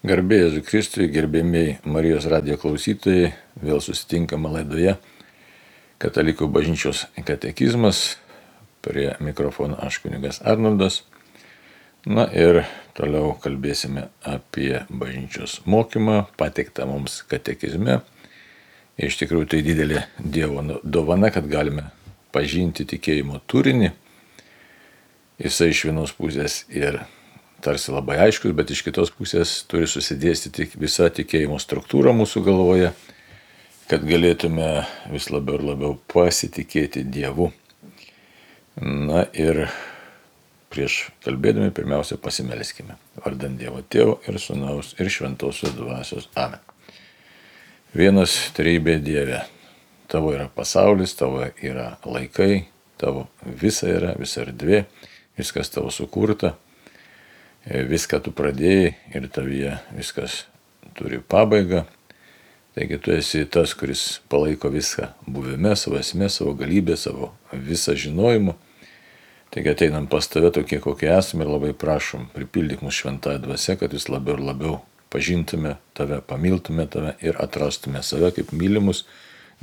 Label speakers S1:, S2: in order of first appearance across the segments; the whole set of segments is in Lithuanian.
S1: Garbė Jėzui Kristui, gerbėmiai Marijos radijo klausytojai, vėl susitinkame laidoje Katalikų bažnyčios katekizmas. Prie mikrofono aš kunigas Arnoldas. Na ir toliau kalbėsime apie bažnyčios mokymą, pateiktą mums katekizme. Iš tikrųjų tai didelė Dievo dovana, kad galime pažinti tikėjimo turinį. Jisai iš vienos pusės ir tarsi labai aiškus, bet iš kitos pusės turi susidėstyti visa tikėjimo struktūra mūsų galvoje, kad galėtume vis labiau ir labiau pasitikėti Dievu. Na ir prieš kalbėdami pirmiausia pasimelskime. Vardant Dievo Tėvo ir Sūnaus ir Šventosios Dvasios. Amen. Vienas trejybė Dieve. Tavo yra pasaulis, tavo yra laikai, tavo visa yra, visa erdvė, viskas tavo sukurta. Viską tu pradėjai ir tavyje viskas turi pabaigą. Taigi tu esi tas, kuris palaiko viską buvime, savo esmė, savo galybę, savo visą žinojimu. Taigi ateinam pas tave tokie, kokie esame ir labai prašom, pripildyk mūsų šventąją dvasią, kad vis labiau ir labiau pažintume tave, pamiltume tave ir atrastume save kaip mylimus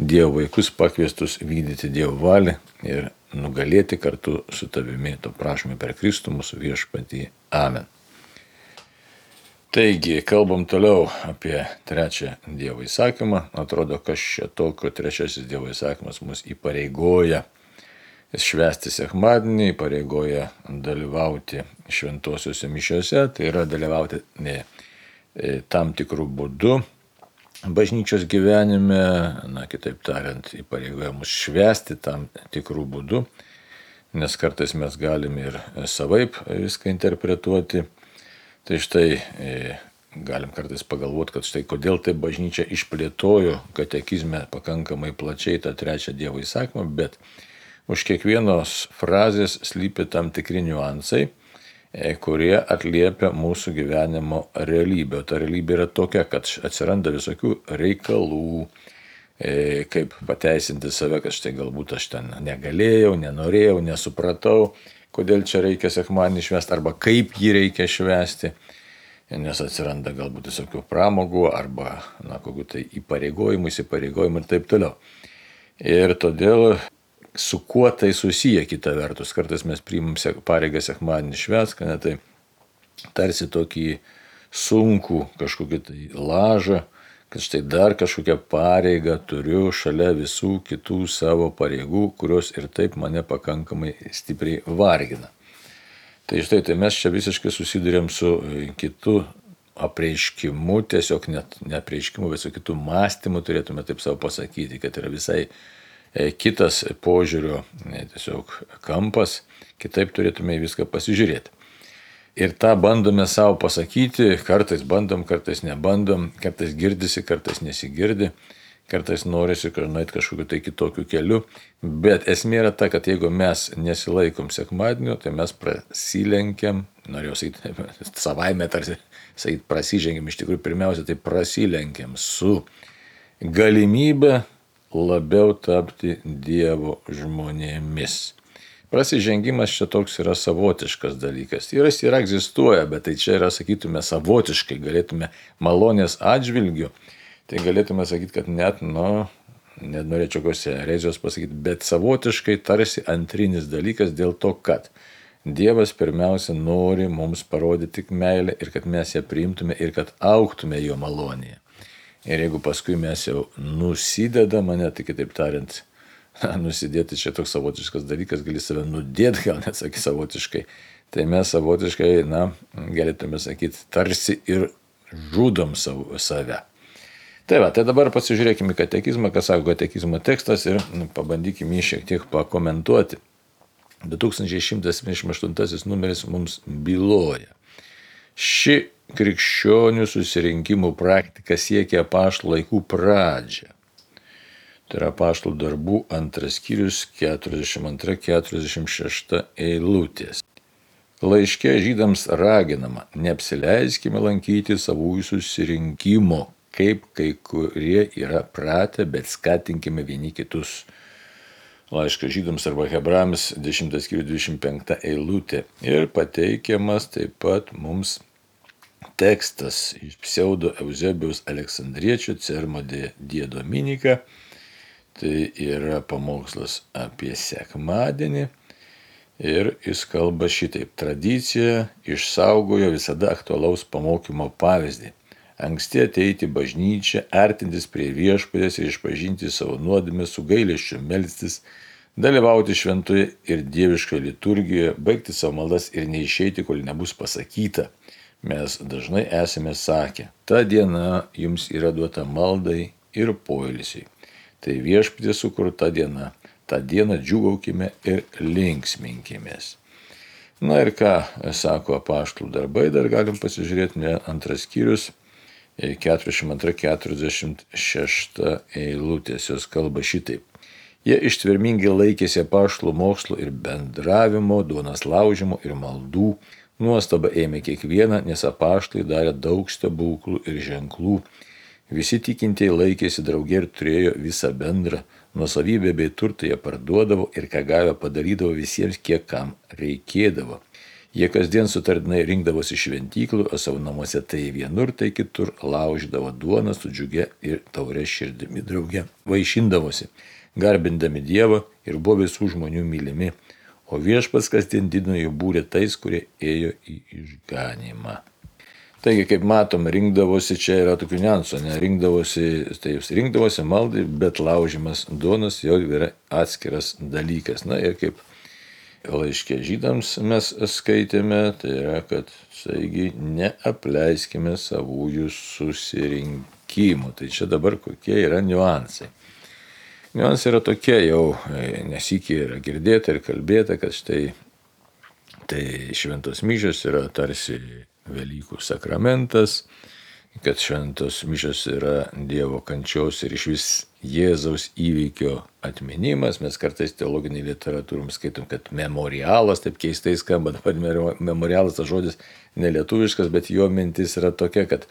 S1: Dievo vaikus, pakviestus vykdyti Dievo valią ir nugalėti kartu su tavimi. To prašome per Kristų mūsų viešpatį. Amen. Taigi, kalbam toliau apie trečią Dievo įsakymą. Atrodo, kas čia tokio trečiasis Dievo įsakymas mus įpareigoja švęsti sekmadienį, įpareigoja dalyvauti šventosiuose mišiuose, tai yra dalyvauti tam tikrų būdų bažnyčios gyvenime, kitaip tariant, įpareigoja mus švęsti tam tikrų būdų, nes kartais mes galime ir savaip viską interpretuoti. Tai štai galim kartais pagalvoti, kad štai kodėl tai bažnyčia išplėtojo katekizme pakankamai plačiai tą trečią Dievo įsakymą, bet už kiekvienos frazės slypi tam tikri niuansai, kurie atliepia mūsų gyvenimo realybę. O ta realybė yra tokia, kad atsiranda visokių reikalų, kaip pateisinti save, kad štai galbūt aš ten negalėjau, nenorėjau, nesupratau, kodėl čia reikia sekmadienį švęsti, arba kaip jį reikia švęsti, nes atsiranda galbūt visokių pramogų, arba kokių tai įsipareigojimų ir taip toliau. Ir todėl su kuo tai susiję kita vertus. Kartais mes priimam pareigą sekmadienį švęsti, tai tarsi tokį sunkų kažkokį tai lažą, kad štai dar kažkokią pareigą turiu šalia visų kitų savo pareigų, kurios ir taip mane pakankamai stipriai vargina. Tai štai tai mes čia visiškai susidurėm su kitu apreiškimu, tiesiog net ne apreiškimu, bet su kitu mąstymu turėtume taip savo pasakyti, kad yra visai kitas požiūrio tiesiog kampas, kitaip turėtume į viską pasižiūrėti. Ir tą bandome savo pasakyti, kartais bandom, kartais nebandom, kartais girdisi, kartais nesigirdi, kartais norisi nueiti kažkokiu tai kitokiu keliu, bet esmė yra ta, kad jeigu mes nesilaikom sekmadienio, tai mes prasilenkiam, norėjau sakyti, savaime tarsi prasižengiam, iš tikrųjų pirmiausia, tai prasilenkiam su galimybė labiau tapti Dievo žmonėmis. Prasižengimas čia toks yra savotiškas dalykas. Jis yra egzistuoja, bet tai čia yra, sakytume, savotiškai, galėtume malonės atžvilgiu, tai galėtume sakyti, kad net norėčiau kokios erezijos pasakyti, bet savotiškai tarsi antrinis dalykas dėl to, kad Dievas pirmiausia nori mums parodyti tik meilę ir kad mes ją priimtume ir kad augtume jo malonėje. Ir jeigu paskui mes jau nusidedame, tai kitaip tariant, nusidėti čia toks savotiškas dalykas, gali save nudėti, gal net sakyti savotiškai, tai mes savotiškai, galėtume sakyti, tarsi ir žudom save. Tai dabar pasižiūrėkime į katekizmą, ką sako katekizmo tekstas ir pabandykime jį šiek tiek pakomentuoti. 2178 numeris mums byloja. Ši krikščionių susirinkimų praktika siekia apaštalų laikų pradžią. Tai yra apaštalų darbų 2 skyrius 42-46 eilutės. Laiške žydams raginama, neapsileiskime lankyti savųjų susirinkimo, kaip kai kurie yra pratę, bet skatinkime vieni kitus. Laiškas žydams arba hebrajams 10 skyrius 25 eilutė. Ir pateikiamas taip pat mums tekstas iš pseudo Euzebijaus Aleksandriečio Sermo die Dominica. Tai yra pamokslas apie sekmadienį ir jis kalba šitaip. Tradicija išsaugojo visada aktualaus pamokymo pavyzdį. Anksti ateiti į bažnyčią, artintis prie viešpaties ir išpažinti savo nuodėmę, su gailesčiu melstis, dalyvauti šventoje ir dieviškoje liturgijoje, baigti savo maldas ir neišeiti, kol nebus pasakyta. Mes dažnai esame sakę, ta diena jums yra duota maldai ir poilsiui. Tai viešpaties sukurta diena, tą dieną džiūgaukime ir linksminkimės. Na ir ką sako apaštalų darbai, dar galim pasižiūrėti, antras skyrius, 42-46 eilutės, jos kalba šitaip. Jie ištvermingai laikėsi apaštalų mokslo ir bendravimo, duonos laužimo ir maldų. Nuostaba ėmė kiekvieną, nes apaštalai darė daug stebuklų ir ženklų. Visi tikintieji laikėsi draugė ir turėjo visą bendrą nuosavybę bei turtą, jie parduodavo ir ką gavę padarydavo visiems, kiek kam reikėdavo. Jie kasdien sutardinai rinkdavosi šventyklų, o savo namuose tai vienur, tai kitur laužydavo duoną su džiugia ir taure širdimi drauge. Vaišindavosi, garbindami Dievą ir buvo visų žmonių mylimi, o viešpats kasdien didino jų būrį tais, kurie ėjo į išganymą. Taigi, kaip matom, rinkdavosi, čia yra tokių niuansų, rinkdavosi maldai, bet laužimas duonos jau yra atskiras dalykas. Na ir kaip laiške žydams mes skaitėme, tai yra, kad saigi neapleiskime savųjų susirinkimų. Tai čia dabar kokie yra niuansai. Niuansai yra tokie jau, nesikį yra girdėta ir kalbėta, kad štai tai šventos mišios yra tarsi Velykų sakramentas, kad šventos mišios yra Dievo kančios ir išvis Jėzaus įvykio atminimas. Mes kartais teologinėje literatūroje skaitom, kad memorialas, taip keistai skamba, memorialas tas žodis nelietuviškas, bet jo mintis yra tokia, kad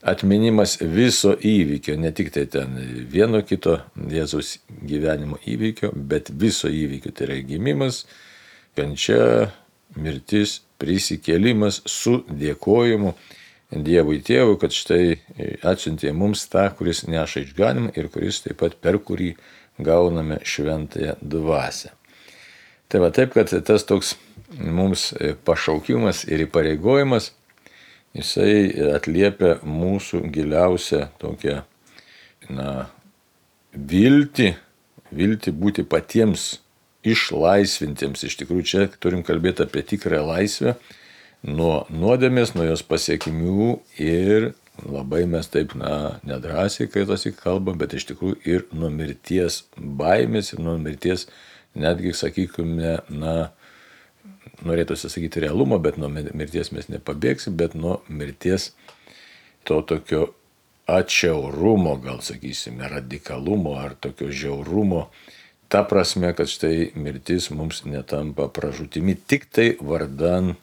S1: atminimas viso įvykio, ne tik tai ten vieno kito Jėzaus gyvenimo įvykio, bet viso įvykio, tai yra gimimas, kančia, mirtis, prisikėlimas su dėkojimu Dievui Tėvui, kad štai atsiuntė mums tą, kuris neša išganimą ir kuris taip pat per kurį gauname šventąją dvasią. Tai va taip, kad tas toks mums pašaukimas ir įpareigojimas, jisai atliepia mūsų giliausią tokią, viltį būti patiems išlaisvintiems. Iš tikrųjų, čia turim kalbėti apie tikrą laisvę nuo nuodėmės, nuo jos pasiekimių ir labai mes taip, nedrąsiai, kai tas kalbam, bet iš tikrųjų ir nuo mirties baimės ir nuo mirties, netgi, sakykime, norėtųsi sakyti realumo, bet nuo mirties mes nepabėgsim, bet nuo mirties to tokio atšiaurumo, gal sakysime, radikalumo ar tokio žiaurumo. Ta prasme, kad štai mirtis mums netampa pražūtimi tik tai vardan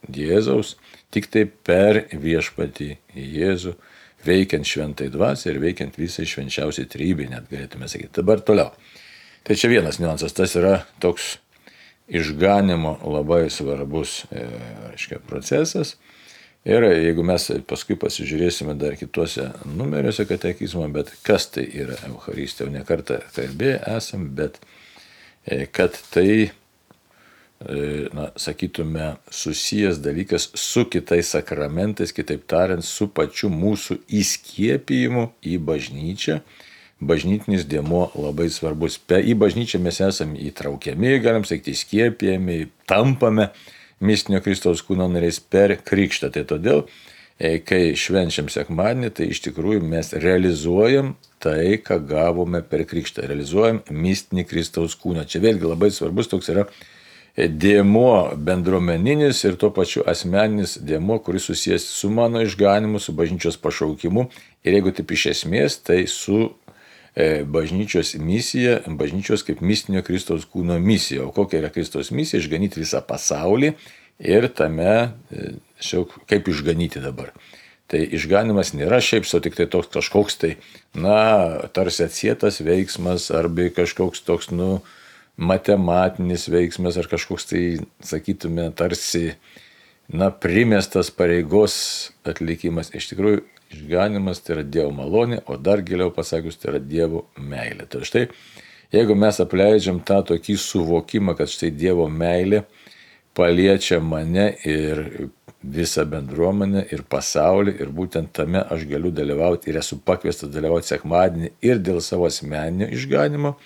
S1: Jėzaus, tik tai per viešpatį Jėzų, veikiant šventai dvasiai ir veikiant visai švenčiausiai trejybei, net galėtume sakyti. Dabar toliau. Tai čia vienas niuansas, tas yra toks išganimo labai svarbus procesas. Ir jeigu mes paskui pasižiūrėsime dar kituose numeriuose katekizmo, bet kas tai yra Eucharistija, jau ne kartą kalbėję esam, bet kad tai, sakytume, susijęs dalykas su kitais sakramentais, kitaip tariant, su pačiu mūsų įskiepijimu į bažnyčią. Bažnytinis dėmuo labai svarbus. Į bažnyčią mes esame įtraukiami, galim sakyti, įskiepijami, tampame mistinio Kristaus kūno nariais per krikštą. Tai todėl, kai švenčiam sekmadienį, tai iš tikrųjų mes realizuojam tai, ką gavome per krikštą. Realizuojam mistinį Kristaus kūną. Čia vėlgi labai svarbus toks yra dėmuo bendruomeninis ir tuo pačiu asmeninis dėmuo, kuris susijęs su mano išganimu, su bažnyčios pašaukimu. Ir jeigu taip iš esmės, tai su bažnyčios misija, bažnyčios kaip mistinio Kristaus kūno misija. O kokia yra Kristaus misija? Išganyti visą pasaulį ir tame, kaip išganyti dabar. Tai išganimas nėra šiaip sau tik tai toks kažkoks tai, tarsi atsietas veiksmas arba kažkoks toks, matematinis veiksmas ar kažkoks tai, sakytume, tarsi primestas pareigos atlikimas. Iš tikrųjų, išganymas tai yra Dievo malonė, o dar giliau pasakius, tai yra Dievo meilė. Tai štai, jeigu mes apleidžiam tą tokį suvokimą, kad štai Dievo meilė paliečia mane ir visą bendruomenę ir pasaulį, ir būtent tame aš galiu dalyvauti ir esu pakviestas dalyvauti sekmadienį ir dėl savo asmeninio išganimo,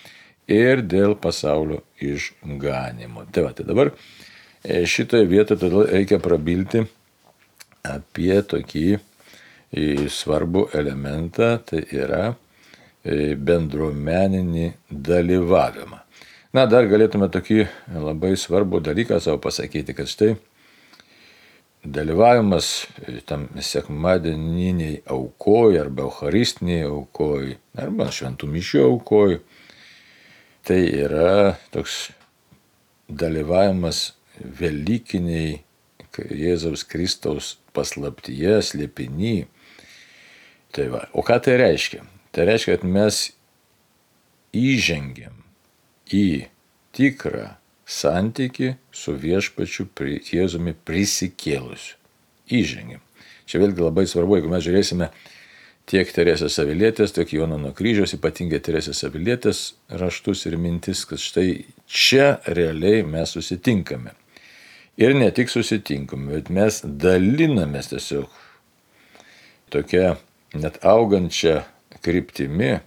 S1: ir dėl pasaulio išganimo. Tai dabar šitoje vietoje todėl reikia prabilti apie tokį svarbų elementą, tai yra bendruomeninį dalyvavimą. Dar galėtume tokį labai svarbų dalyką savo pasakyti, kad štai dalyvavimas tam sekmadieniniai aukoj arba eucharistiniai aukoj arba šventų mišių aukoj, tai yra toks dalyvavimas velykiniai Jėzaus Kristaus paslaptyje, slėpiny. O ką tai reiškia? Tai reiškia, kad mes įžengiam į tikrą santykį su viešpačiu Jėzumi prisikėlusiu. Įžengiam. Čia vėlgi labai svarbu, jeigu mes žiūrėsime tiek Teresės Avilietės, tiek Jono nuo kryžiaus, ypatingai Teresės Avilietės raštus ir mintis, kad štai čia realiai mes susitinkame. Ir ne tik susitinkame, bet mes dalinamės tiesiog tokia net augančia kryptimi,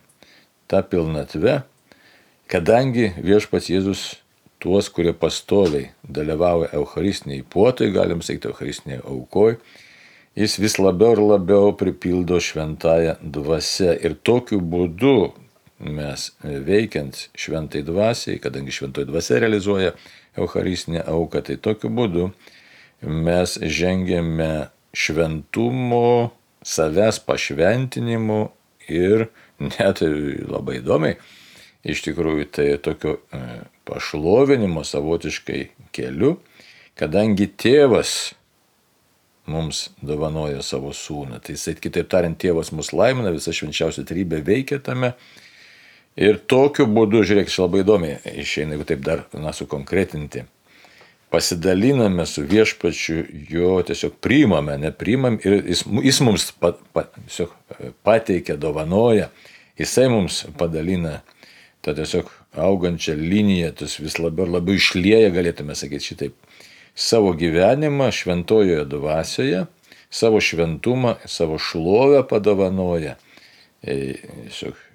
S1: tą pilnatvę, kadangi viešpats Jėzus tuos, kurie pastoviai dalyvauja eucharistiniai puotoj, galim sakyti eucharistiniai aukoj, jis vis labiau ir labiau pripildo šventąją dvasią. Ir tokiu būdu mes veikiant šventai dvasiai, kadangi šventoji dvasia realizuoja eucharistinę auką, tai tokiu būdu mes žengiame šventumo, savęs pašventinimu ir net labai įdomiai, iš tikrųjų tai tokio pašlovinimo savotiškai keliu, kadangi tėvas mums dovanoja savo sūnų. Tai jisai, kitaip tariant, tėvas mus laimina, visa švenčiausia trybė veikia tame. Ir tokiu būdu, žiūrėk, čia labai įdomiai išeina, jeigu taip dar sukonkretinti. Pasidaliname su viešpačiu, jo tiesiog priimame, nepriimam ir jis mums tiesiog pateikia, dovanoja, jisai mums padalina tą tiesiog augančią liniją, tas vis labiau ir labiau išlieja, galėtume sakyti šitaip, savo gyvenimą šventojoje dvasioje, savo šventumą, savo šlovę padovanoja,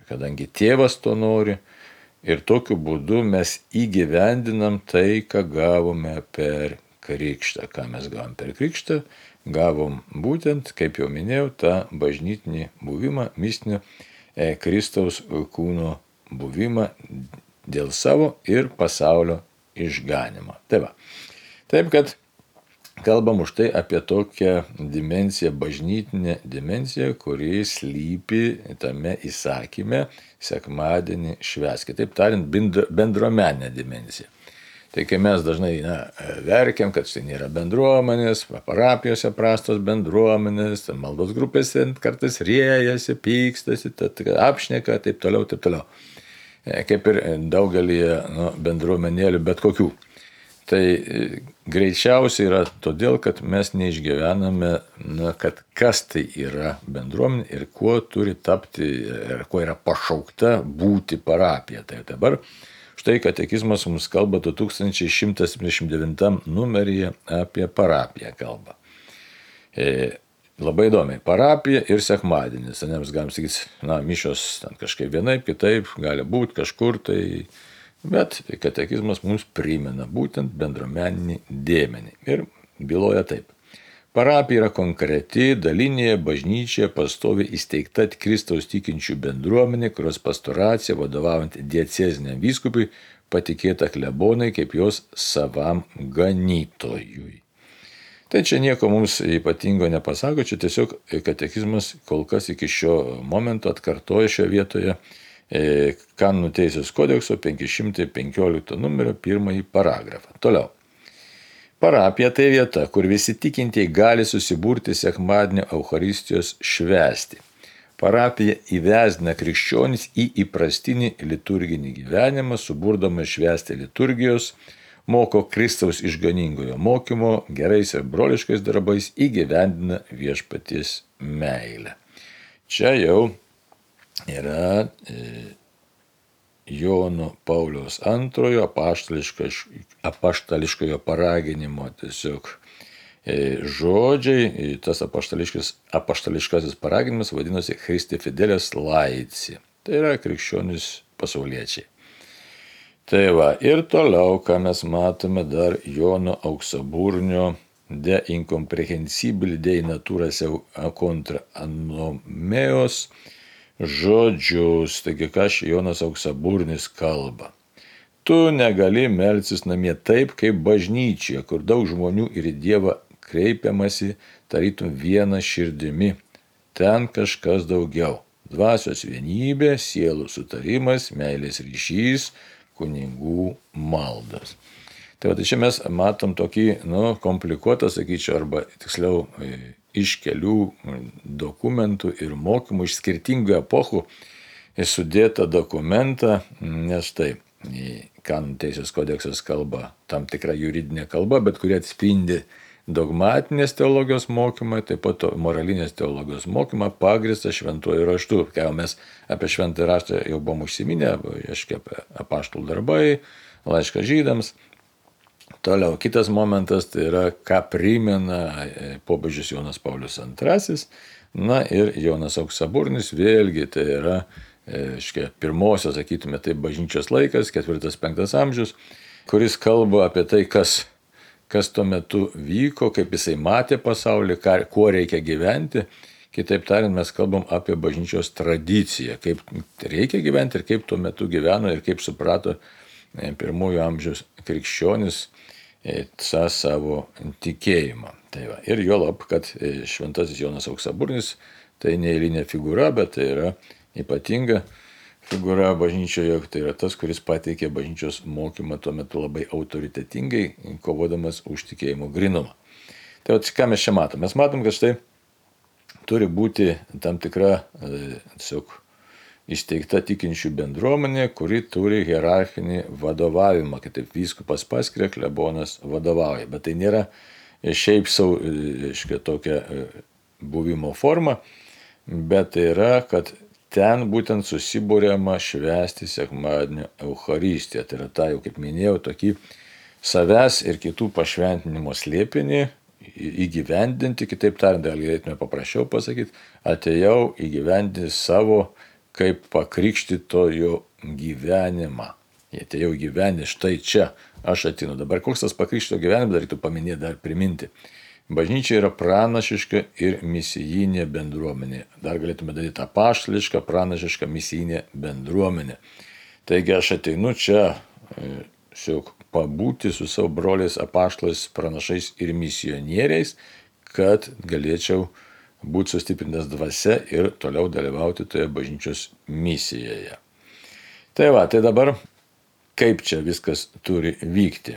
S1: kadangi tėvas to nori, ir tokiu būdu mes įgyvendinam tai, ką gavome per krikštą. Ką mes gavom per krikštą? Gavom būtent, kaip jau minėjau, tą bažnytinį buvimą, mistinio Kristaus kūno buvimą dėl savo ir pasaulio išganimo. Taip, kad kalbam už tai apie tokią dimensiją, bažnytinę dimensiją, kuri slypi tame įsakyme sekmadienį švęsk. Taip tariant, bendruomeninė dimensija. Tai kai mes dažnai verkiam, kad štai nėra bendruomenės, parapijose prastos bendruomenės, maldos grupėse kartais riejasi, pykstasi, apšneka, taip toliau. Kaip ir daugelį bendruomenėlių bet kokių. Tai greičiausiai yra todėl, kad mes neišgyvename, kad kas tai yra bendruomenė ir kuo turi tapti, ir kuo yra pašaukta būti parapija. Tai dabar štai katekizmas mums kalba 2179 numeryje apie parapiją kalbą. Labai įdomiai, parapija ir sekmadienis. Mes galim sakyti, mišios kažkaip vienaip, kitaip, gali būti kažkur tai. Bet katekizmas mums primena būtent bendruomeninį dėmenį ir byloja taip. Parapija yra konkreti, dalinė bažnyčia, pastoviai įsteigta Kristaus tikinčių bendruomenė, kurios pastoracija, vadovaujant dieceziniam vyskupui, patikėta klebonai kaip jos savam ganytojui. Tai čia nieko mums ypatingo nepasako, čia tiesiog katekizmas kol kas iki šio momento atkartoja šioje vietoje Kanonų teisės kodekso 515 numerio 1 paragrafą. Toliau. Parapija tai vieta, kur visi tikintieji gali susiburti sekmadienio Eucharistijos švęsti. Parapija įvesdina krikščionis į įprastinį liturginį gyvenimą, suburdama švęsti liturgijos, moko Kristaus išganingojo mokymo, gerais ir broliškais darbais įgyvendina viešpaties meilę. Čia jau yra Jono Pauliaus II apaštališkojo paraginimo tiesiog žodžiai. Tas apaštališkasis paraginimas vadinosi Christi Fideles Laici. Tai yra krikščionys pasauliečiai. Tai va, ir toliau, ką mes matome dar Jono Auksaburnio de incomprehensibili dei natura seu contra anomeos žodžius. Taigi, ką Jonas Auksaburnis kalba. Tu negali melstis namie taip, kaip bažnyčioje, kur daug žmonių ir į Dievą kreipiamasi tarytum viena širdimi. Ten kažkas daugiau. Dvasios vienybė, sielų sutarimas, meilės ryšys, kunigų maldas. Tai va, čia mes matom tokį, komplikuotą, sakyčiau, arba tiksliau iš kelių dokumentų ir mokymų iš skirtingų epochų sudėtą dokumentą, nes tai kanonų teisės kodeksas kalba tam tikra juridinė kalba, bet kuri atspindi dogmatinės teologijos mokymą, taip pat moralinės teologijos mokymą pagrįstą šventuoju raštu. Kai mes apie šventąjį raštą jau buvom užsiminę, apie apaštalų darbai, laišką žydams. Toliau, kitas momentas, tai yra, ką primena popiežius Jonas Paulius II, ir Jonas Auksaburnis, vėlgi tai yra pirmosios, sakytume, tai bažnyčios laikas, 4-5 amžius, kuris kalba apie tai, kas tuo metu vyko, kaip jisai matė pasaulį, kuo reikia gyventi. Kitaip tariant, mes kalbam apie bažnyčios tradiciją, kaip reikia gyventi ir kaip tuo metu gyveno ir kaip suprato pirmųjų amžiaus krikščionis tą savo tikėjimą. Tai va. Ir juolab, kad šventasis Jonas Auksaburnis tai neeilinė figūra, bet tai yra ypatinga figūra bažnyčioje, tai yra tas, kuris pateikė bažnyčios mokymą tuo metu labai autoritetingai, kovodamas už tikėjimo grinumą. Tai va, ką mes čia matom? Mes matom, kad štai turi būti tam tikra tiesiog įsteigta tikinčių bendruomenė, kuri turi hierarchinį vadovavimą, kitaip vyskupas paskiria, klebonas vadovauja. Bet tai nėra šiaip sau tokia buvimo forma, bet tai yra, kad ten būtent susibūriama švęsti sekmadienio Eucharistiją. Tai yra ta, jau kaip minėjau, tokį savęs ir kitų pašventinimo slėpinį įgyvendinti, kitaip tariant, galėtume paprasčiau pasakyti, atėjau įgyvendinti savo kaip pakrikštytojo gyvenimą. Jie atėjau gyventi, štai čia aš atinu. Dabar koks tas pakrikštytojo gyvenimas, dar reiktų paminėti, dar priminti. Bažnyčia yra pranašiška ir misijinė bendruomenė. Dar galėtume daryti apaštališką, pranašišką misijinė bendruomenė. Taigi aš ateinu čia pabūti su savo broliais apaštalais, pranašais ir misionieriais, kad galėčiau būti sustiprintas dvasia ir toliau dalyvauti toje bažnyčios misijoje. Tai va, tai dabar kaip čia viskas turi vykti.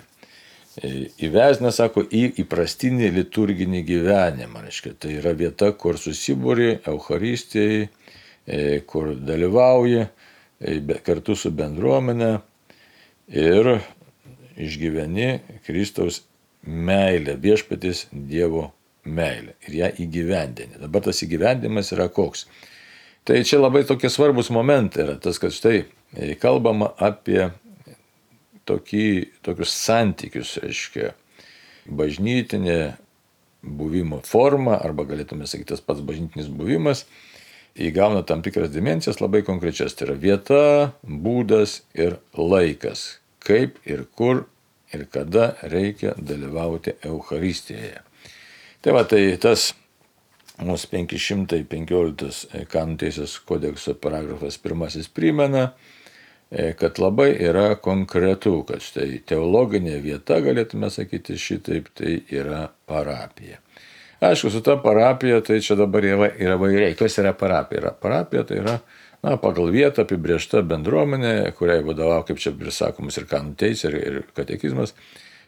S1: Įvesina, sako, į įprastinį liturginį gyvenimą. Reiškia, tai yra vieta, kur susibūri Eucharistijai, kur dalyvauji kartu su bendruomenė ir išgyveni Kristaus meilę, viešpaties Dievo meilę ir ją įgyvendini. Dabar tas įgyvendimas yra koks? Tai čia labai tokie svarbus momentai yra tas, kad štai kalbama apie tokius santykius, reiškia, bažnytinė buvimo forma, arba galėtume sakyti tas pats bažnytinis buvimas, įgauna tam tikras dimensijas labai konkrečias. Tai yra vieta, būdas ir laikas, kaip ir kur ir kada reikia dalyvauti Eucharistijoje. Tai va, tai tas mūsų 515 kanonų teisės kodekso paragrafas 1 primena, kad labai yra konkretu, kad štai teologinė vieta, galėtume sakyti šitaip, tai yra parapija. Aišku, su ta parapija, tai čia dabar yra įvairiai. Kas yra parapija? Parapija tai yra pagal vietą apibrėžta bendruomenė, kuriai vadovauja, kaip čia prisakomas ir kanonų teisė, ir katekizmas,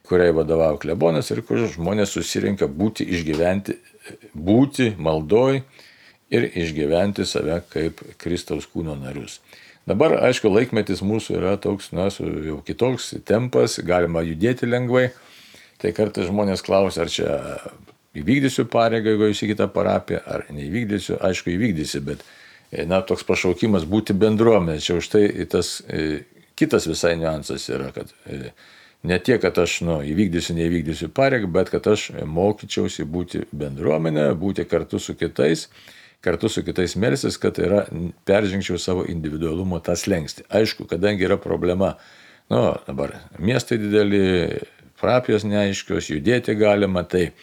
S1: kuriai vadovauja klebonas ir kur žmonės susirinka būti, išgyventi, būti maldoj ir išgyventi save kaip Kristaus kūno narius. Dabar, aišku, laikmetis mūsų yra toks, jau kitoks tempas, galima judėti lengvai. Tai kartais žmonės klausia, ar čia įvykdysiu pareigą, jeigu jūs į kitą parapiją, ar neįvykdysiu. Aišku, įvykdysi, bet toks pašaukimas būti bendruomenė. Čia už tai tas kitas visai niuansas yra, kad ne tiek, kad aš įvykdysiu, neįvykdysiu pareigą, bet kad aš mokyčiausi būti bendruomenė, būti kartu su kitais melstis, kad peržengčiau savo individualumo tą slenkstį. Aišku, kadangi yra problema, dabar miestai dideli, parapijos neaiškios, judėti galima, tai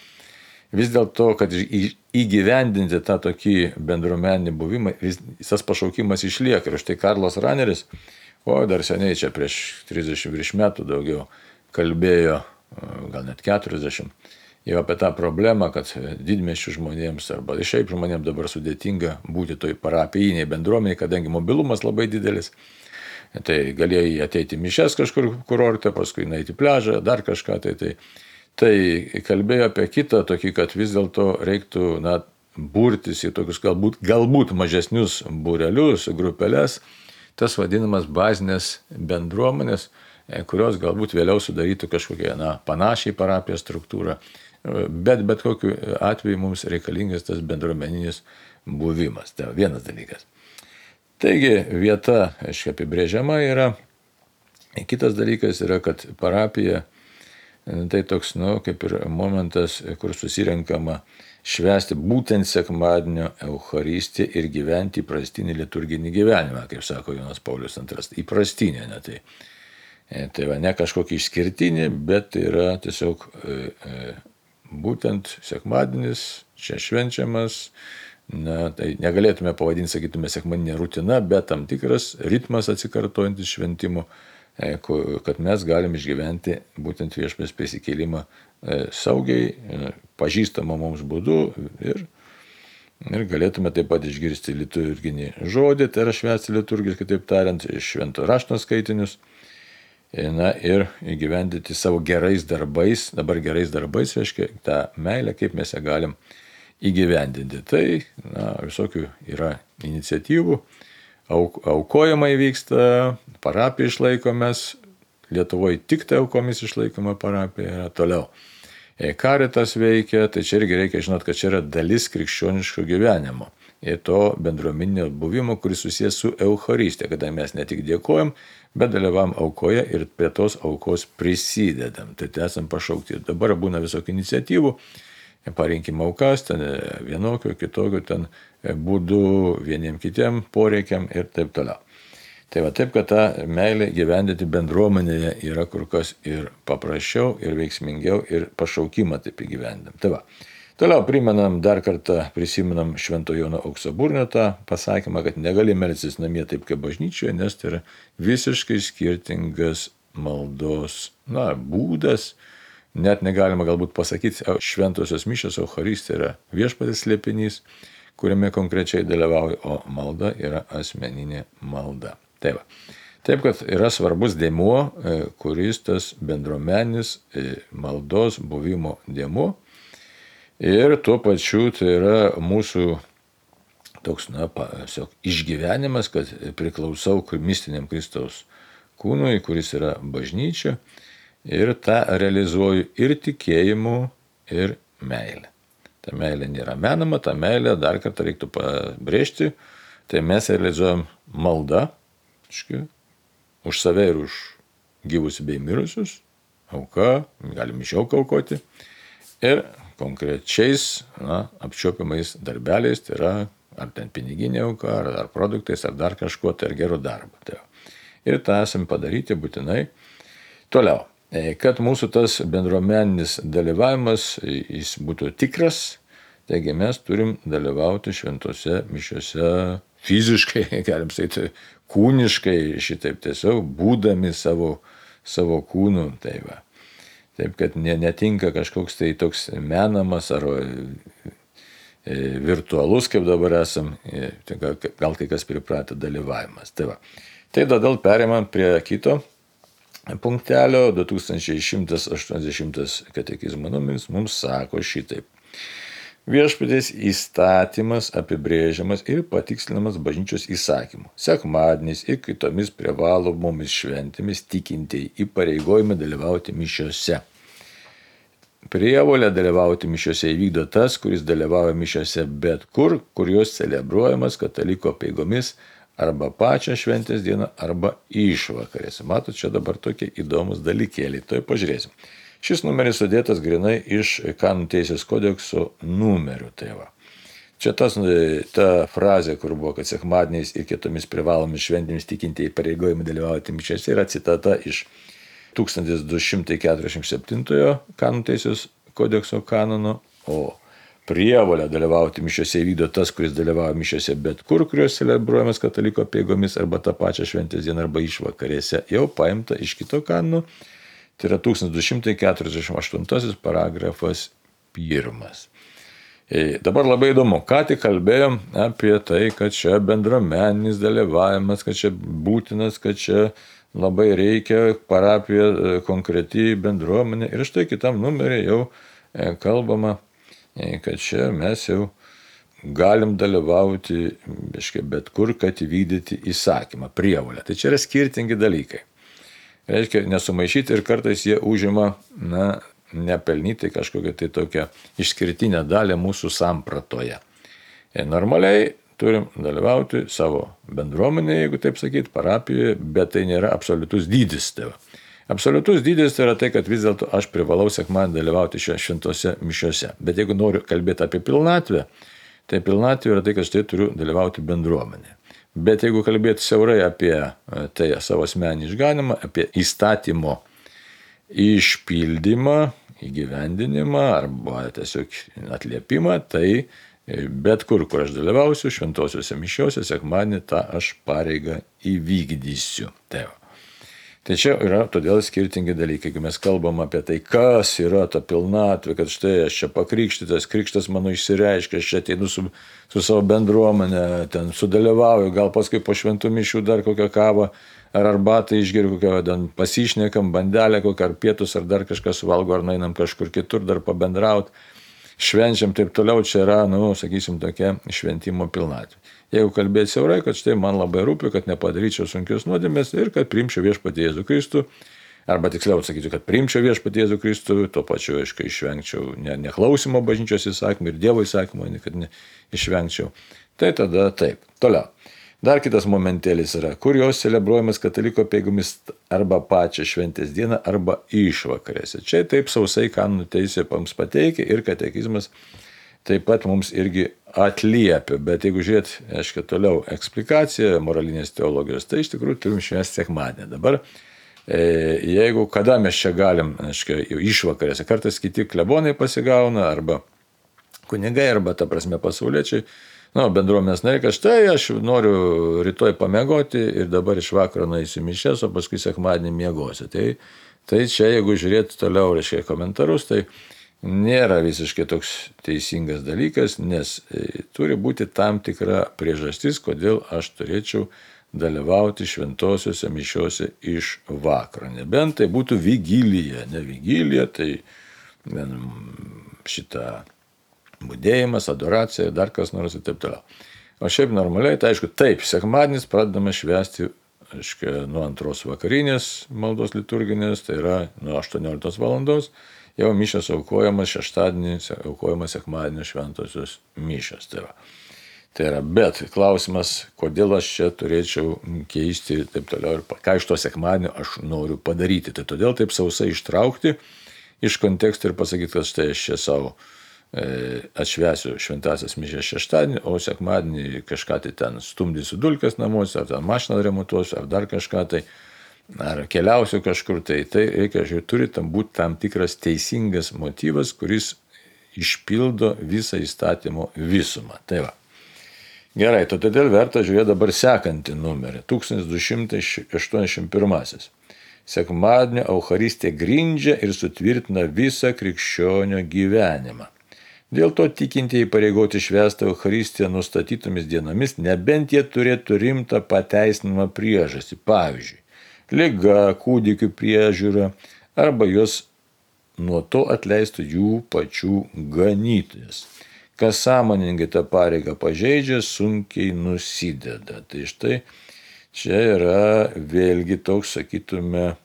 S1: vis dėlto, kad įgyvendinti tą tokį bendruomeninį buvimą, tas pašaukimas išlieka. Ir štai Karlas Raneris, dar seniai čia prieš 30 virš metų daugiau kalbėjo, gal net 40, jau apie tą problemą, kad didmiesčių žmonėms arba šiaip žmonėms dabar sudėtinga būti toj parapijiniai bendruomeniai, kadangi mobilumas labai didelis. Tai galėjai ateiti mišes kažkur kurorte, paskui nueiti į pliažą, dar kažką. Tai kalbėjo apie kitą tokį, kad vis dėlto reiktų burtis į tokius galbūt mažesnius būrelius, grupelės, tas vadinamas bazinės bendruomenės, kurios galbūt vėliau sudarytų kažkokią panašiai parapijos struktūrą. Bet kokiu atveju mums reikalingas tas bendruomeninis buvimas. Tai vienas dalykas. Taigi vieta, apibrėžiama yra. Kitas dalykas yra, kad parapija tai toks, kaip ir momentas, kur susirenkama švęsti būtent sekmadienio Eucharistiją ir gyventi įprastinį liturginį gyvenimą, kaip sako Jonas Paulius II. Įprastinė, ne tai. Tai ne kažkokį išskirtinį, bet tai yra tiesiog būtent sekmadienis, čia švenčiamas, tai negalėtume pavadinti, sakytume, sekmadieninė rutina, bet tam tikras ritmas atsikartojantis šventimo, kad mes galim išgyventi būtent viešpaties prisikėlimą saugiai, pažįstamą mums būdu ir galėtume taip pat išgirsti liturginį žodį, tai yra švęsti liturgiškai, kitaip tariant, švento rašto skaitinius. Ir įgyvendinti savo gerais darbais, dabar gerais darbais reiškia tą meilę, kaip mes ją galim įgyvendinti. Tai visokių yra iniciatyvų, aukojimai vyksta, parapija išlaikomės, Lietuvoje tik tai aukomis išlaikoma parapija yra toliau. Karitas veikia, tai čia irgi reikia žinot, kad čia yra dalis krikščioniško gyvenimo. Ir to bendruomeninio buvimo, kuris susijęs su Eucharistija, kada mes ne tik dėkojam, bet dalyvavom aukoje ir prie tos aukos prisidedam. Tai esam pašaukti. Ir dabar būna visokių iniciatyvų, parinkim aukas, ten vienokio, kitokio, ten būdų vieniem kitiem poreikiam ir taip toliau. Tai taip, kad tą meilę gyvendinti bendruomenėje yra kur kas ir paprasčiau, ir veiksmingiau, ir pašaukimą taip įgyvendinam. Tai va. Toliau dar kartą prisimenam Švento Jono Auksaburnio tą pasakymą, kad negali melstis namie taip kaip bažnyčioje, nes tai yra visiškai skirtingas maldos būdas. Net negalima galbūt pasakyti, šventosios mišios Eucharistija yra viešpatės slėpinys, kuriame konkrečiai dalyvauja, o malda yra asmeninė malda. Taip, kad yra svarbus dėmuo, kuris tas bendruomeninis maldos buvimo dėmuo. Ir tuo pačiu tai yra mūsų toks, išgyvenimas, kad priklausau mistiniam Kristaus kūnui, kuris yra bažnyčia, ir tą realizuoju ir tikėjimu, ir meilė. Ta meilė nėra menama, ta meilė dar kartą reiktų pabrėžti, tai mes realizuojam maldą, už save ir už gyvus bei mirusius, auka, galim iš auką aukoti, ir konkrečiais apčiuopiamais darbeliais, tai yra ar ten piniginė auka, ar produktais, ar dar kažkuo, tai ar gerų darbą. Ir tą esam padaryti būtinai. Toliau, kad mūsų tas bendruomeninis dalyvavimas jis būtų tikras, taigi mes turim dalyvauti šventose mišiose fiziškai, galim sakyti, kūniškai, šitaip tiesiog būdami savo kūnų. Taip, kad netinka kažkoks tai toks menamas ar virtualus, kaip dabar esam, gal kai kas pripratę dalyvavimas. Tai todėl perėmam prie kito punktelio, 2180 katekizmo numeris mums sako šitaip. Viešpaties įstatymas apibrėžiamas ir patikslinamas bažnyčios įsakymu. Sekmadieniais ir kitomis privalomomis šventėmis tikintieji įpareigojami dalyvauti mišiose. Prievolę dalyvauti mišiose įvykdo tas, kuris dalyvauja mišiose bet kur jos celebruojamas kataliko apeigomis arba pačią šventės dieną arba išvakarėse. Matot, čia dabar tokie įdomus dalykėliai. Tuoj pažiūrėsim. Šis numeris sudėtas grinai iš Kanonų teisės kodekso numerių. Tai va. Čia ta frazė, kur buvo, kad sekmadieniais ir kitomis privalomis šventėmis tikintieji įpareigojami dalyvauti mišiose, yra citata iš 1247 Kanonų teisės kodekso kanono, o prievolę dalyvauti mišiose įvykdo tas, kuris dalyvauja mišiose bet kur jos celebruojamas kataliko apeigomis arba tą pačią šventės dieną arba išvakarėse, jau paimta iš kito kanono. Tai yra 1248 paragrafas 1. Dabar labai įdomu, ką tik kalbėjom apie tai, kad čia bendruomeninis dalyvavimas, kad čia būtinas, kad čia labai reikia parapija konkreti bendruomenė. Ir štai kitam numerį jau kalbama, kad čia mes jau galim dalyvauti bet kur, kad įvykdyti įsakymą, prievolę. Tai čia yra skirtingi dalykai. Reiškia, nesumaišyti ir kartais jie užima, nepelnytai kažkokią tai tokią išskirtinę dalį mūsų sampratoje. Normaliai turim dalyvauti savo bendruomenėje, jeigu taip sakyti, parapijoje, bet tai nėra absoliutus dydis. Tai absoliutus dydis tai yra tai, kad vis dėlto aš privalau sekmadienį dalyvauti šventose mišiose. Bet jeigu noriu kalbėti apie pilnatvę, tai pilnatvė yra tai, kad štai turiu dalyvauti bendruomenėje. Bet jeigu kalbėti siaurai apie tai savo asmenį išganimą, apie įstatymo išpildymą, įgyvendinimą arba tiesiog atliepimą, tai bet kur aš dalyvausiu, šventosiuose mišiuose, sekmadienį tą aš pareigą įvykdysiu. Tai čia yra todėl skirtingi dalykai. Kai mes kalbam apie tai, kas yra ta pilnatvė, kad štai aš čia pakrikštytas, krikštas mano išsireiškia, aš čia ateinu su savo bendruomenė, ten sudalyvauju, gal paskui po šventų mišių dar kokią kavą ar arbatą išgeriu, kokią pasišnekam, bandelę kokią ar pietus ar dar kažką suvalgo, ar nainam kažkur kitur dar pabendraut, švenčiam, taip toliau, čia yra, sakysim, tokia šventimo pilnatvė. Jeigu kalbėti siaurai, kad štai man labai rūpi, kad nepadaryčiau sunkios nuodėmės ir kad priimčiau viešpatį Jėzų Kristų, arba tiksliau sakyčiau, kad priimčiau viešpatį Jėzų Kristų, tuo pačiu, aišku, išvengčiau neklausimo bažnyčios įsakymų ir Dievo įsakymų, kad išvengčiau. Tai tada taip. Toliau. Dar kitas momentėlis yra, kur jos celebruojamas kataliko apeigomis arba pačią šventės dieną, arba išvakarėse. Čia taip sausai Kanonų teisė mums pateikia ir katekizmas taip pat mums irgi atliepia. Bet jeigu žiūrėt, aiškiai, toliau eksplikacija moralinės teologijos, tai iš tikrųjų turim švęsti sekmadienį. Dabar, jeigu kada mes čia galim, aiškiai, išvakarėse, kartais kiti klebonai pasigauna, arba kunigai, arba, ta prasme, pasauliečiai, bendruomenės nariai, kad štai aš noriu rytoj pamiegoti ir dabar iš vakaro nueisiu mišias, o paskui sekmadienį miegosiu. Tai čia, jeigu žiūrėt toliau, reiškia, komentarus, tai nėra visiškai toks teisingas dalykas, nes turi būti tam tikra priežastis, kodėl aš turėčiau dalyvauti šventosiuose mišiuose iš vakaro. Nebent tai būtų vigilija, ne vigilija, tai šitą budėjimas, adoracija, dar kas nors ir taip toliau. O šiaip normaliai, tai aišku, taip, sekmadienis pradedame švęsti, aišku, nuo 2 vakarinės maldos liturginės, tai yra nuo 18 valandos, jau mišios aukojamas šeštadienį, aukojamas sekmadienio šventosios mišios. Tai yra, bet klausimas, kodėl aš čia turėčiau keisti ir taip toliau, ir ką iš to sekmadienio aš noriu padaryti. Tai todėl taip sausai ištraukti iš konteksto ir pasakyti, kad štai aš čia savo atšvęsiu šventasias mišias šeštadienį, o sekmadienį kažką tai ten stumdysiu dulkes namuose, ar ten mašiną remontuosiu, ar dar kažką tai, ar keliausiu kažkur, tai reikia, turi tam būti tam tikras teisingas motyvas, kuris išpildo visą įstatymo visumą. Tai va. Gerai, todėl verta žiūrėti dabar sekantį numerį, 1281. Sekmadienio Eucharistija grindžia ir sutvirtina visą krikščionio gyvenimą. Dėl to tikintieji įpareigoti švęsti Eucharistiją nustatytomis dienomis, nebent jie turėtų rimtą pateisinamą priežastį, pavyzdžiui, liga, kūdikių priežiūra, arba juos nuo to atleistų jų pačių ganytojas. kas sąmoningai tą pareigą pažeidžia, sunkiai nusideda. Tai štai čia yra vėlgi toks, sakytume,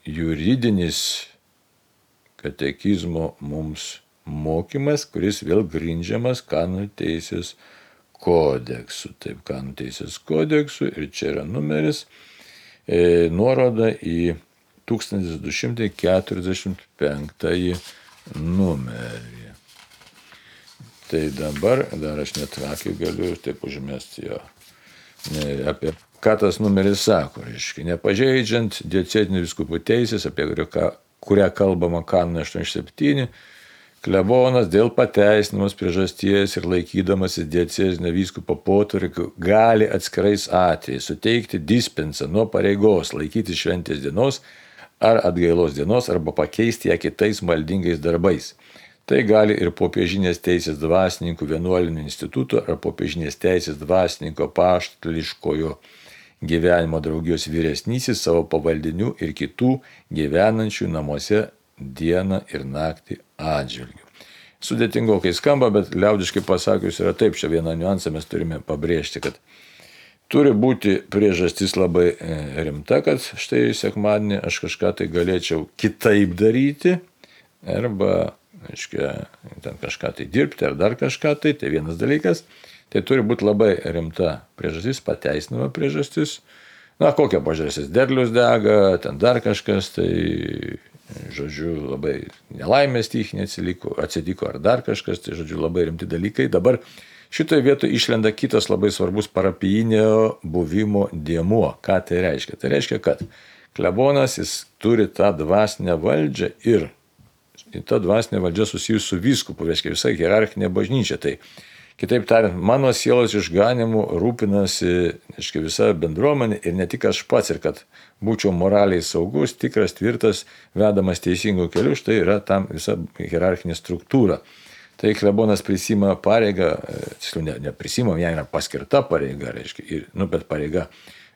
S1: juridinis katekizmo mums mokymas, kuris vėl grindžiamas kanonų teisės kodeksu. Taip, kanonų teisės kodeksu, ir čia yra numeris, nuoroda į 1245 numerį. Tai dabar dar aš net akį galiu ir taip užmesti jo. Apie ką tas numeris sako, reiškia, nepažeidžiant diecezinių vyskupų teisės, apie kurią kalbama kanone 87, klebonas dėl pateisinamos priežasties ir laikydamasis diecezinio vyskupo potvarkių gali atskirais atvejais suteikti dispensą nuo pareigos laikyti šventės dienos ar atgailos dienos arba pakeisti ją kitais maldingais darbais. Tai gali ir popiežinės teisės dvasininkų vienuolinių institutų ar popiežinės teisės dvasininko apaštališkojo gyvenimo draugijos vyresnysis savo pavaldinių ir kitų gyvenančių namuose dieną ir naktį atžvilgių. Sudėtingokai skamba, bet liaudiškai pasakius yra taip, čia vieną niuansą mes turime pabrėžti, kad turi būti priežastis labai rimta, kad štai sekmadienį aš kažką tai galėčiau kitaip daryti, arba ten kažką tai dirbti ar dar kažką tai vienas dalykas. Tai turi būti labai rimta priežastis, pateisinama priežastis. Na, kokia priežastis? Derlius dega, ten dar kažkas, tai, žodžiu, labai nelaimės stichinė atsitiko ar dar kažkas, tai, žodžiu, labai rimti dalykai. Dabar šitoje vietoje išlenda kitas labai svarbus parapijinio buvimo dėmuo. Ką tai reiškia? Tai reiškia, kad klebonas jis turi tą dvasinę valdžią ir ta dvasinė valdžia susijusi su vyskupu, reiškia visa hierarchinė bažnyčia. Tai kitaip tariant, mano sielos išganimu rūpinasi visa bendruomenė ir ne tik aš pats, ir kad būčiau moraliai saugus, tikras, tvirtas, vedamas teisingų kelių, štai yra tam visa hierarchinė struktūra. Tai klebonas prisima pareigą, tiksliau neprisima, jai yra paskirta pareiga, reiškia, bet pareiga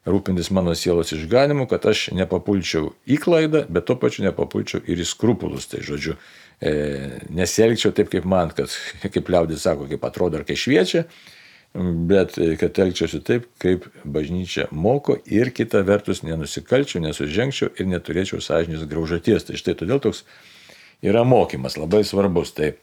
S1: rūpintis mano sielos išganimu, kad aš nepapulčiau į klaidą, bet tuo pačiu nepapulčiau ir į skrupulus. Tai žodžiu, nesielgčiau taip, kaip man, kad, kaip liaudis sako, kaip atrodo ar kai šviečia, bet kad elgčiausi taip, kaip bažnyčia moko ir kita vertus nenusikalčiau, nesužengčiau ir neturėčiau sąžinės graužaties. Tai štai todėl toks yra mokymas labai svarbus. Tai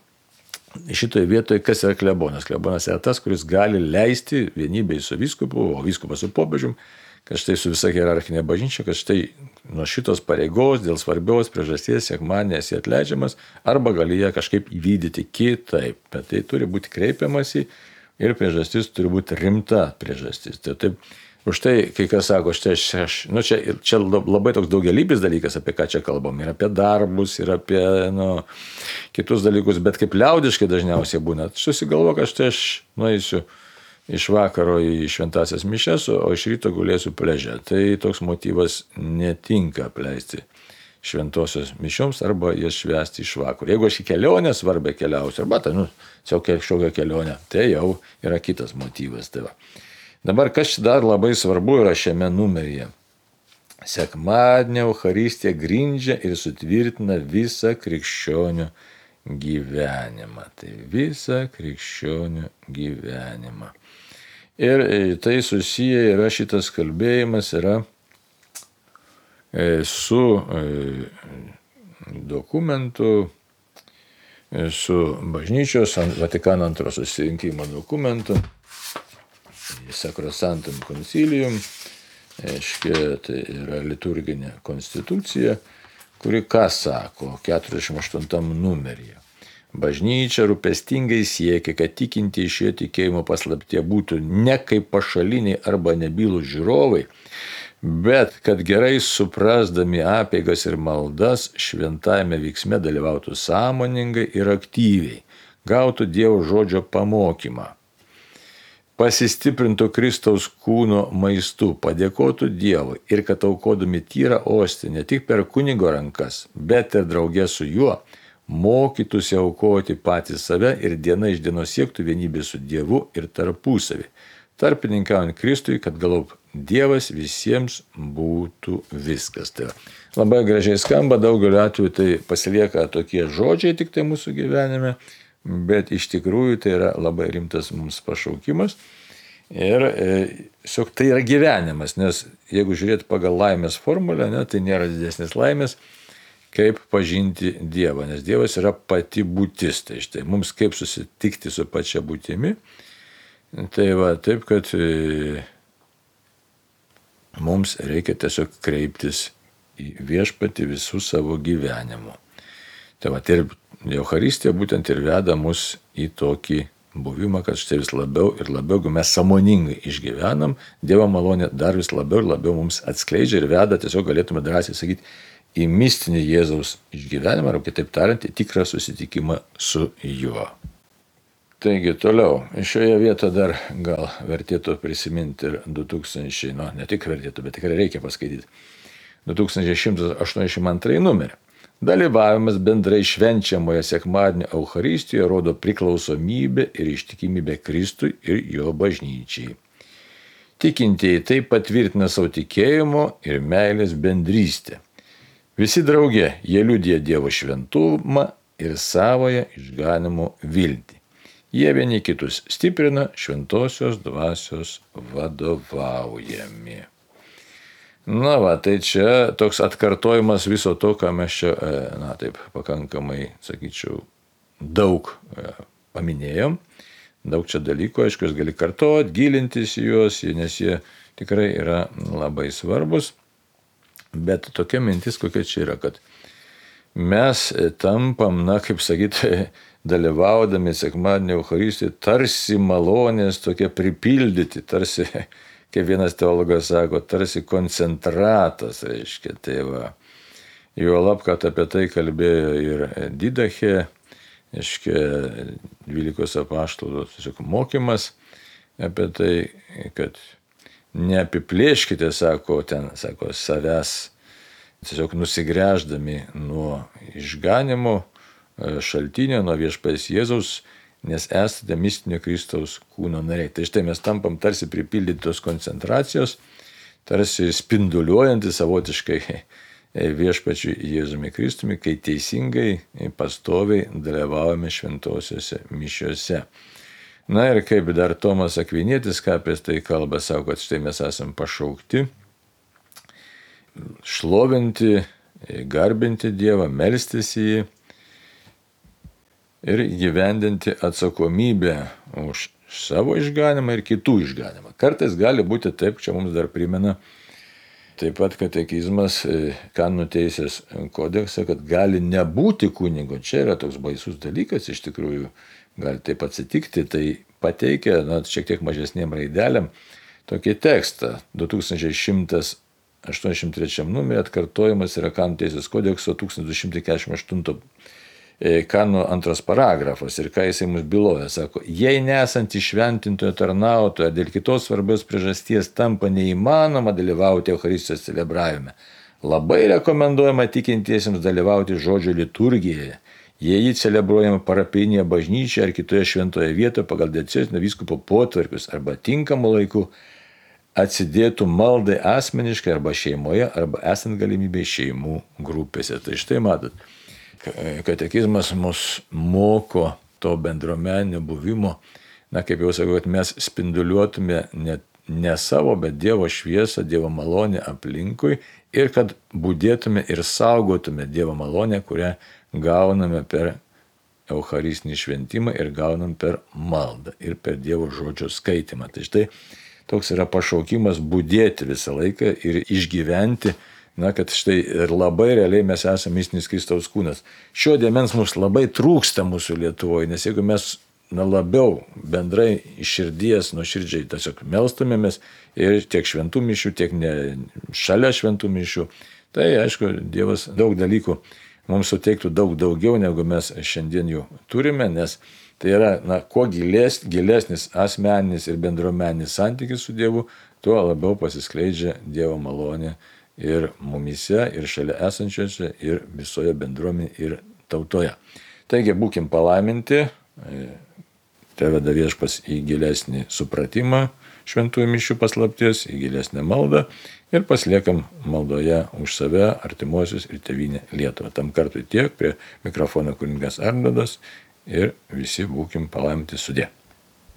S1: šitoje vietoje kas yra klebonas? Klebonas yra tas, kuris gali leisti vienybei su vyskupu, o vyskupas su popiežium, kad štai su visa hierarchinė bažnyčia, kad štai nuo šitos pareigos dėl svarbios priežasties sekmadienį esi atleidžiamas, arba gali ją kažkaip įvykdyti kitaip. Bet tai turi būti kreipiamasi ir priežastis turi būti rimta priežastis. Tai taip, už tai, kai kas sako, čia labai toks daugialypis dalykas, apie ką čia kalbam, ir apie darbus, ir apie kitus dalykus, bet kaip liaudiškai dažniausiai būna, susigalvo, kad štai aš nueisiu iš vakaro į šventasias mišias, o iš ryto gulėsiu pliaže. Tai toks motyvas netinka apleisti šventosios mišioms arba jas švęsti iš vakaro. Jeigu aš į kelionę svarbę keliausiu, arba tiesiog kažkokią kelionę, tai jau yra kitas motyvas. Tai va. Dabar kas dar labai svarbu yra šiame numeryje. Sekmadienio Eucharistija grindžia ir sutvirtina visą krikščionių gyvenimą. Tai visą krikščionių gyvenimą. Ir tai susiję yra šitas kalbėjimas yra su dokumentu, su bažnyčios Vatikano II susirinkimo dokumentu, Sacrosanctum Concilium, tai yra liturginė konstitucija, kuri ką sako 48 numeryje. Bažnyčia rūpestingai siekia, kad tikintieji šio tikėjimo paslaptyje būtų ne kaip pašaliniai arba nebylūs žiūrovai, bet kad gerai suprasdami apeigas ir maldas šventajame veiksme dalyvautų sąmoningai ir aktyviai, gautų Dievo žodžio pamokymą, pasistiprintų Kristaus kūno maistu, padėkotų Dievui ir kad aukodami tyrą ostį ne tik per kunigo rankas, bet ir draugė su juo, mokytųsi aukoti patys save ir diena iš dienos siektų vienybė su Dievu ir tarpusavį, tarpininkaujant Kristui, kad galop Dievas visiems būtų viskas. Tai labai gražiai skamba, daugeliu atveju tai pasilieka tokie žodžiai tik tai mūsų gyvenime, bet iš tikrųjų tai yra labai rimtas mums pašaukimas. Ir tiesiog tai yra gyvenimas, nes jeigu žiūrėti pagal laimės formulę, tai nėra didesnės laimės, kaip pažinti Dievą, nes Dievas yra pati būtis. Tai štai mums kaip susitikti su pačia būtimi. Tai va, taip, kad mums reikia tiesiog kreiptis į viešpatį visų savo gyvenimu. Tai va, ir Eucharistija būtent ir veda mus į tokį buvimą, kad štai vis labiau ir labiau, jeigu mes sąmoningai išgyvenam, Dievo malonė dar vis labiau ir labiau mums atskleidžia ir veda, tiesiog galėtume drąsiai sakyti, į mistinį Jėzaus išgyvenimą, arba kitaip tariant, į tikrą susitikimą su juo. Taigi toliau, šioje vietoje dar gal vertėtų prisiminti ir 2000, ne tik vertėtų, bet tikrai reikia paskaityti, 2182 numerį. Dalyvavimas bendrai švenčiamoje sekmadienio Eucharistijoje rodo priklausomybę ir ištikimybę Kristui ir jo bažnyčiai. Tikintieji tai patvirtina savo tikėjimo ir meilės bendrystę. Visi drauge jie liudija Dievo šventumą ir savoją išganimo viltį. Jie vieni kitus stiprina šventosios dvasios vadovaujami. Na va, tai čia toks atkartojimas viso to, ką mes čia, taip pakankamai, sakyčiau, daug paminėjom. Daug čia dalykų, aišku, jūs gali kartoti, gilintis į juos, nes jie tikrai yra labai svarbus. Bet tokia mintis, kokia čia yra, kad mes tampam, kaip sakyti, dalyvaudami sekmadienio Eucharistijoje, tarsi malonės tokie pripildyti, tarsi, kaip vienas teologas sako, tarsi koncentratas, reiškia, tai va. Juolab, kad apie tai kalbėjo ir Didache, reiškia, 12 apaštalų mokymas apie tai, kad neapiplėškite, sako, savęs, tiesiog nusigręždami nuo išganimo šaltinio, nuo viešpaties Jėzaus, nes esate mistinio Kristaus kūno nariai. Tai štai mes tampam tarsi pripildytos koncentracijos, tarsi spinduliuojantys savotiškai viešpačiui Jėzumi Kristumi, kai teisingai, pastoviai dalyvaujame šventosiuose mišiuose. Na ir kaip dar Tomas Akvinietis, ką apie tai kalba, sako, kad štai mes esam pašaukti šlovinti, garbinti Dievą, melstis į jį ir gyvendinti atsakomybę už savo išganimą ir kitų išganimą. Kartais gali būti taip, čia mums dar primena taip pat katekizmas kanonų teisės kodekse, kad gali nebūti kunigo. Čia yra toks baisus dalykas, iš tikrųjų gali taip atsitikti, tai pateikia, šiek tiek mažesnėm raidelėm, tokį tekstą, 2183 numerį atkartojimas yra kanonų teisės kodekso 1248 kanonų 2 paragrafas ir ką jisai mums byloja, sako, jei nesant įšventintojo tarnautojo dėl kitos svarbios priežasties tampa neįmanoma dalyvauti Eucharistijos celebravime, labai rekomenduojama tikintiesiems dalyvauti žodžio liturgijoje, jei jį celebruojama parapijinėje bažnyčioje ar kitoje šventoje vietoje pagal diecezinio vyskupo potvarkius arba tinkamu laiku atsidėtų maldai asmeniškai arba šeimoje arba esant galimybei šeimų grupėse. Tai štai matot, katekizmas mus moko to bendruomeninio buvimo, kaip jau sakau, kad mes spinduliuotume ne savo, bet Dievo šviesą, Dievo malonę aplinkui ir kad budėtume ir saugotume Dievo malonę, kurią gauname per Eucharistinį šventimą ir gaunam per maldą ir per Dievo žodžio skaitimą. Tai štai toks yra pašaukimas budėti visą laiką ir išgyventi, kad štai ir labai realiai mes esame mistinis Kristaus kūnas. Šio dėmens mums labai trūksta mūsų Lietuvoje, nes jeigu mes labiau bendrai iš širdies, nuoširdžiai tiesiog melstumėmės ir tiek šventų mišių, tiek ne šalia šventų mišių, tai aišku, Dievas daug dalykų mums suteiktų daug daugiau, negu mes šiandien jų turime, nes tai yra, kuo gilesnis asmeninis ir bendruomeninis santykis su Dievu, tuo labiau pasiskleidžia Dievo malonė ir mumyse, ir šalia esančiuose, ir visoje bendruomenėje, ir tautoje. Taigi būkim palaiminti, te veda Viešpats į gilesnį supratimą šventųjų mišių paslapties, į gilesnę maldą ir pasiliekam maldoje už save, artimuosius ir tėvynę Lietuvą. Tam kartui tiek, prie mikrofono kunigas Arnoldas ir visi būkim palaiminti sudė.